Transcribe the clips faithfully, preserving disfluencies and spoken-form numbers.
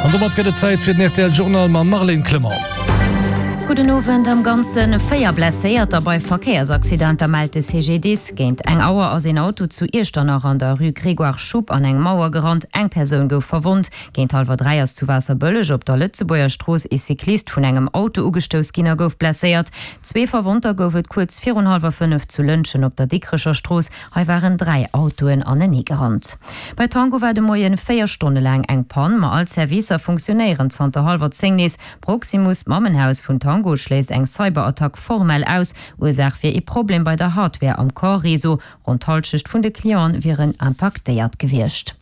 An domat gëtt et Zäit fir den rtl Journal mam Marlène Clement. Gudden Owend. Am Ganze véier Blesséierter bei Verkéiersaccidenter mellt de CGDIS. Géint eng Auer ass een Auto zu Iechternach an der Rue Grégoire Schupp an eng Mauer gerannt. Eng Persoun gouf verwonnt. Géint hallwer dräi ass zu Waasserbëlleg op der Lëtzebuerger Strooss ee Cyclist vun engem Auto ugestouss ginn a gouf blesséiert. Zwee Verwonnter gouf et kuerz virun hallwer fënnef zu Lëntgen op der Dikrecher Strooss. Hei waren dräi Autoen anenee gerannt. Bei Tango war de Moien véier Stonne laang eng Pann, ma all d'Servicer funktionéieren zanter hallwer zéng nees. Proximus, d'Mammenhaus vun Tango, schléisst eng Cyberattack formell aus. Ursaach wier ee Problem bei der Hardware am Core-Réseau. Ronn d'Hallschecht vun de Clienten wieren impaktéiert gewiescht.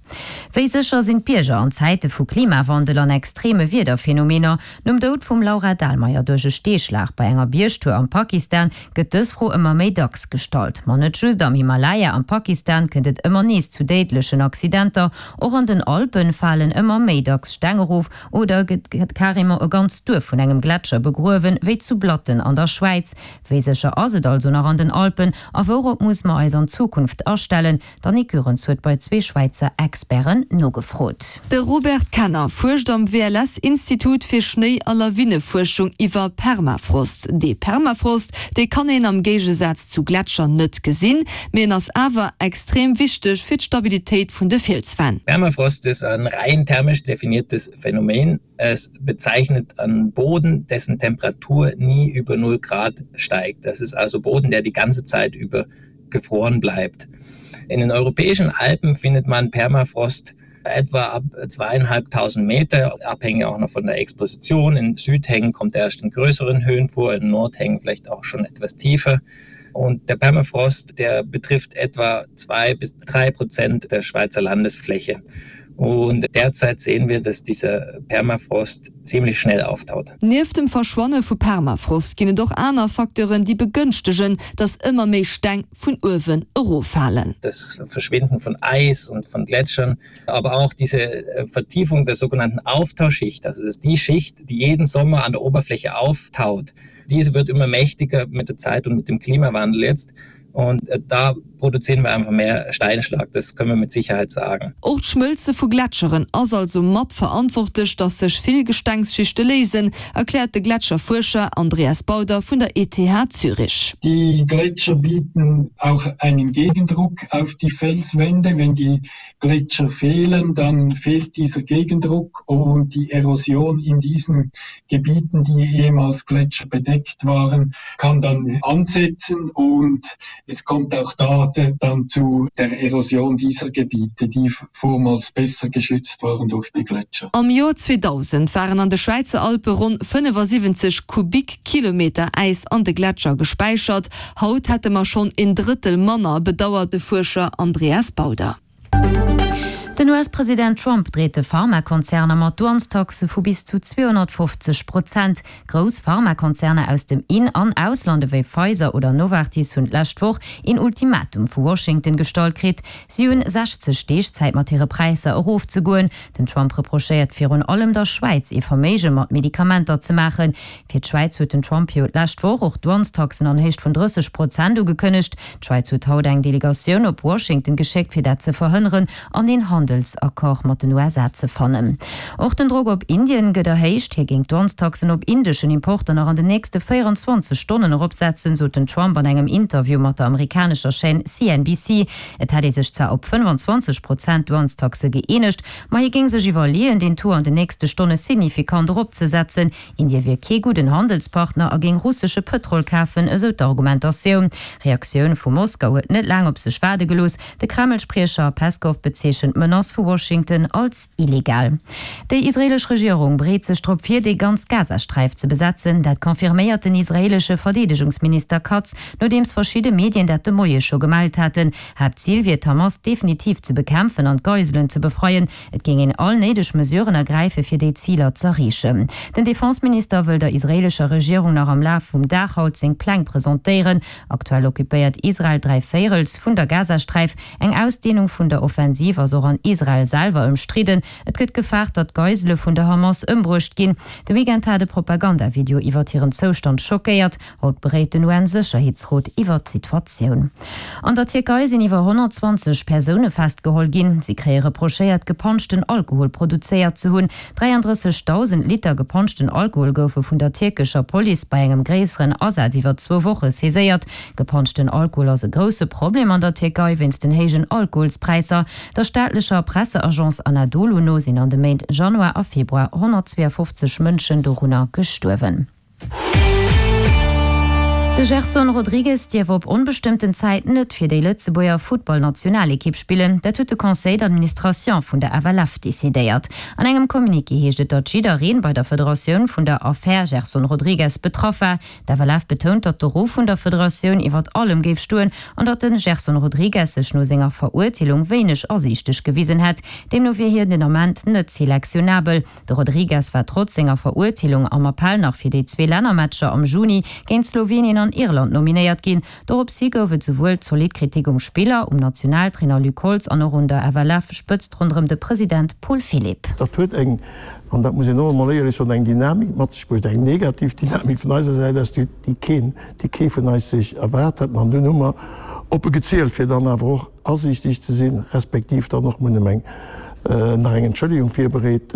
Wéi sécher sinn d'Bierger an Zäite vu Klimawandel an extreme Wiederphenomener? Nom Doud vum Laura Dahlmeier duerch e Steeschlag bei enger Biergtour am Pakistan gëtt dës Fro ëmmer méi dacks gestallt. Ma net just am Himalaya am Pakistan kënnt et ëmmer nees zu déidlechen Accidenter. Och an den Alpen falen ëmmer méi dacks Steng erof oder gëtt carrément e ganzt Duerf vun engem Gletscher begruewen, wéi zu Blatten an der Schwäiz. Wéi sécher ass et also nach an den Alpen a wourop muss mer eis an Zukunft astellen? D'Annick Goerens huet bei zwee Schwäizer Experten nogefrot. De Robert Kenner fuerscht am W L S-Institut fir Schnéi a Lawinefuerschung iwwer Permafrost. Dee Permafrost, dee kann een am Géigesaz zu Gletscher net gesinn, mee en ass awer extrem wichteg fir d'Stabilitéit vun de Fielswänn. Permafrost ist ein rein thermisch definiertes Phänomen. Es bezeichnet einen Boden, dessen Temperatur nie über null Grad steigt. Das ist also Boden, der die ganze Zeit über gefroren bleibt. In den europäischen Alpen findet man Permafrost etwa ab zweieinhalbtausend Meter, abhängig auch noch von der Exposition. In Südhängen kommt er erst in größeren Höhen vor, in Nordhängen vielleicht auch schon etwas tiefer. Und der Permafrost, der betrifft etwa zwei bis drei Prozent der Schweizer Landesfläche. Und derzeit sehen wir, dass dieser Permafrost ziemlich schnell auftaut. Nieft dem Verschwanne vu Permafrost ginn et och aner Facteuren, déi begënschtegen, dass ëmmer méi Steng vun uewen eroffalen. Das Verschwinden von Eis und von Gletschern, aber auch diese äh, Vertiefung der sogenannten Auftauschicht, also das ist die Schicht, die jeden Sommer an der Oberfläche auftaut. Diese wird immer mächtiger mit der Zeit und mit dem Klimawandel jetzt. Und äh, da produzieren wir einfach mehr Steinschlag, das können wir mit Sicherheit sagen. Och d'Schmëlze vu Gletscheren ass also mat verantwortlech, dass sech vill Gestengsschichte léisen, erkläert de Gletscherfuerscher Andreas Bauder vun der E T H Zürich. Die Gletscher bieten auch einen Gegendruck auf die Felswände. Wenn die Gletscher fehlen, dann fehlt dieser Gegendruck und die Erosion in diesen Gebieten, die ehemals gletscherbedeckt waren, kann dann ansetzen und es kommt auch da dann zu der Erosion dieser Gebiete, die vormals besser geschützt waren durch die Gletscher. Am Joer zweedausend waren an de Schwäizer Alpe ronn fënnefasiwwenzeg Kubikkilometer Äis an de Gletscher gespäichert. Haut hätte mer schonn een Drëttel manner, bedauert de Fuerscher Andreas Bauder. Den U S-President Trump dreet de Pharmakonzerner mat Douanestaxe vu bis zu zweehonnertfofzeg Prozent. Grouss Pharmakonzerner aus dem In an Ausland ewéi Pfizer oder Novartis hunn d'lescht Woch een Ultimatum vu Washington gestallt kritt. Si hunn sechzeg Deeg Zäit mat hire Präisser erofzegoen. Den Trump reprochéiert virun allem der Schwäiz ee Verméige mat Medikamenter ze maachen. Fir d'Schwäiz huet den Trump jo d'lescht Woch och Douanestaxen an Héicht vun drësseg Prozent ugekënnegt. D'Schwäiz huet haut eng Delegatioun op Washington geschéckt fir dat ze verhënneren an een Handelsaccord mat den U S A ze fannen. Och den Drock op Indien gëtt erhéicht. Hie géing d'Douanestaxen op indeschen Importer nach an den nächste véierenzwanzeg Stonnen eropsetzen, sot den Trump an engem Interview mat der amerikanescher Chaîne C N B C. Et hätt ee sech zwar op fënnefenzwanzeg Prozent Douanestaxe gëeenegt, ma hie géing sech iwwerleeën, den Taux an den nächste Stonne signifikant eropzesetzen. Indie wier kee gudden Handelspartner a géing russesche Pëtrol kafen, esou d'Argumentatioun. Reaktioun vu Moskau huet net laang op sech waarde gelooss. De Kreml-Spriecher Peskov bezeechent d'Menace vu Washington als illegal. Déi israeelesch Regierung bereet sech drop vir, déi ganz Gazasträif ze besetzen. Dat confirméiert den israeelesche Verdeedegungsminister Katz, nodeems verschidde Medien dat de Moie scho gemellt haten. Haaptzil wier d'Hamas definitiv ze bekämpfen an d'Geiselen ze befreien. Et géing een all néideg Mesuren ergräife fir déi Ziler z'erreechen. Den Defenseminister wëll der israeelescher Regierung nach am Laf vum Dag haut seng Pläng presentéieren. Aktuell occupéiert Israel dräi Véierels vun der Gazasträif. Eng Ausdeenung vun der Offensiv ass och an Israel selwer ëmstridden. Et gëtt gefaart, datt Geisele vun der Hamas ëmbruecht ginn. De Weekend hat e Propagandavideo iwwert hiren Zoustand schockéiert. Haut beréit den UN-Sécherheetsrot iwwert d'Situatioun. An der Tierkei sinn iwwer honnertzwanzeg Persoune festgeholl ginn. Si kréie reprochéiert, gepanschten Alkohol produzéiert ze hunn. dräiandrëssegdausend Liter gepanschten Alkohol goufe vun der tierkescher Police bei engem gréisseren Asaz iwwer zwou Woche saiséiert. Gepanschten Alkohol ass e grousse Problem an der Tierkei wéinst den héijen Alkoholspräisser. Der staatlecher Presseagence Anadolu no sinn an de Méint Januar a Februar honnertzweeafofzeg Mënschen dorunner gestuerwen. De Gerson Rodrigues dierf op onbestëmmten Zäit net fir déi Lëtzebuerger Futtballnationalekipp spillen. Dat huet de Conseil d'administration vun der F L F decidéiert. An engem Communiqué heescht et, datt jiddereen bei der Federatioun vun der Affär Gerson Rodrigues betraff war. D'F L F betount, datt de Ruff vun der Federatioun iwwert allem géif stoen an datt de Gerson Rodrigues sech no senger Verurteelung wéineg asiichteg gewisen hätt. Deemno wier hien den Ament net selektionabel. De Rodrigues war trotz senger Verurteelung am Appell nach fir déi zwee Lännermatcher am Juni géint Slowenien an Irland nominéiert ginn. Dorops hi gouf et souwuel zolidd Kritik um Spiller, um Nationaltrainer Luc Holtz an och un der F L F-Spëtzt ronderëm de President Paul Philipp. Dat huet eng, an dat muss een och emol éierlech soen, eng Dynamik mat sech bruecht, eng negativ Dynamik vun eiser Säit aus, déi keen, déi kee vun eis sech erwaart hätt. An dunn hu mer op e gezielt, fir dann awer och asiichteg ze sinn, respektiv dann och munnem eng nach eng Entschëllegung virbereet.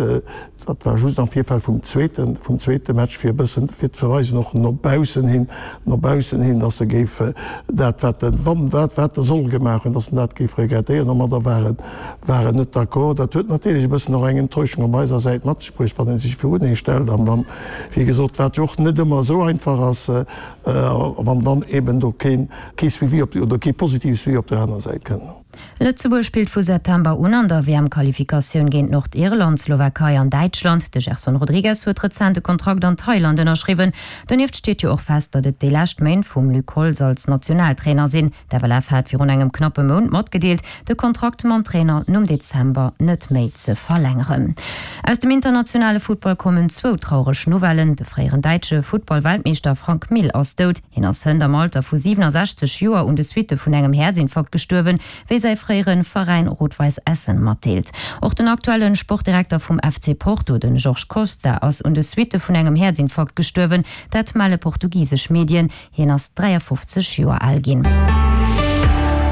Dat war just am Virfeld vum zweeten, vum zweete Match, fir e bëssen, fir ze weisen och no baussen hin, no baussen hin, dass e géif dat, wat en, wann, wat, wat e soll gemaach hunn, dass en dat géif regrettéieren. Domadder war en, war en net d'accord. Dat huet natierlech e bëssen och eng Enttäuschung op eiser Säit mat sech bruecht, wann ee sech virun ee stellt an dann, wéi gesot, wat jo och net ëmmer esou einfach ass, wann dann eben do keen, kee Suivi op, oder kee positive Suivi op der anerer Säit kënn. Lëtzebuerg spillt vu September un an der W M-Qualifikatioun géint Nordirland, Slowakei an Däitschland. De Gerson Rodrigues huet rezent e Kontrakt an Thailand ënnerschriwwen. Donieft steet jo och fest, datt et déi lescht Méint vum Luc Holtz als Nationaltrainer sinn. D'F L F hat virun engem knappe Mount matgedeelt, de Kontrakt mam Trainer nom Dezember net méi ze verlängeren. Aus dem internationale Futtball kommen zwou traureg Nouvellen. De fréieren däitsche Futtball-Weltmeeschter Frank Mill ass dout. Hien ass hënt am Alter vu siewenundsechzeg Joer un de Suitte vun engem Häerzinfarkt gestuerwen, wéi säi fréiere Veräin Rot-Weiss Essen matdeelt. Och den aktuelle Sportdirekter vum F C Porto, den Jorge Costa, ass un de Suitte vun engem Häerzinfarkt gestuerwen, dat melle portugisesch Medien. Hien ass dräiafofzeg Joer al ginn.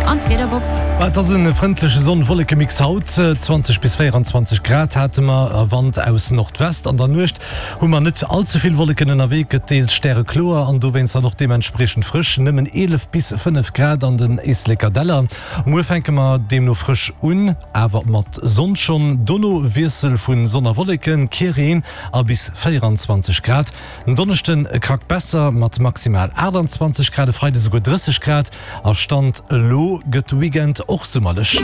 An d'Wieder, Bob. Et ass e frëndleche Sonn-Wolleke-Mix haut, zwanzeg bis véierundzwanzeg Grad hate mer a Wand aus Nordwest. An der Nuecht hu mer net all ze vill Wolleken ënnerwee, gëtt deels stärekloer an dowéinst dann och deementspriechend frësch, nëmmen eelef bis fënnef Grad an den Éisleker Däller. Muer fänke mer deemno frësch un, awer mat Sonn schonn. Dono Wiessel vu Sonn a Wolleken, kee Reen a bis véierundzwanzeg Grad. En Donneschden e Krack besser mat maximal aachtanzwanzeg Grad, e Freide souguer drësseg Grad. A Stand elo gëtt de Weekend och summerlech.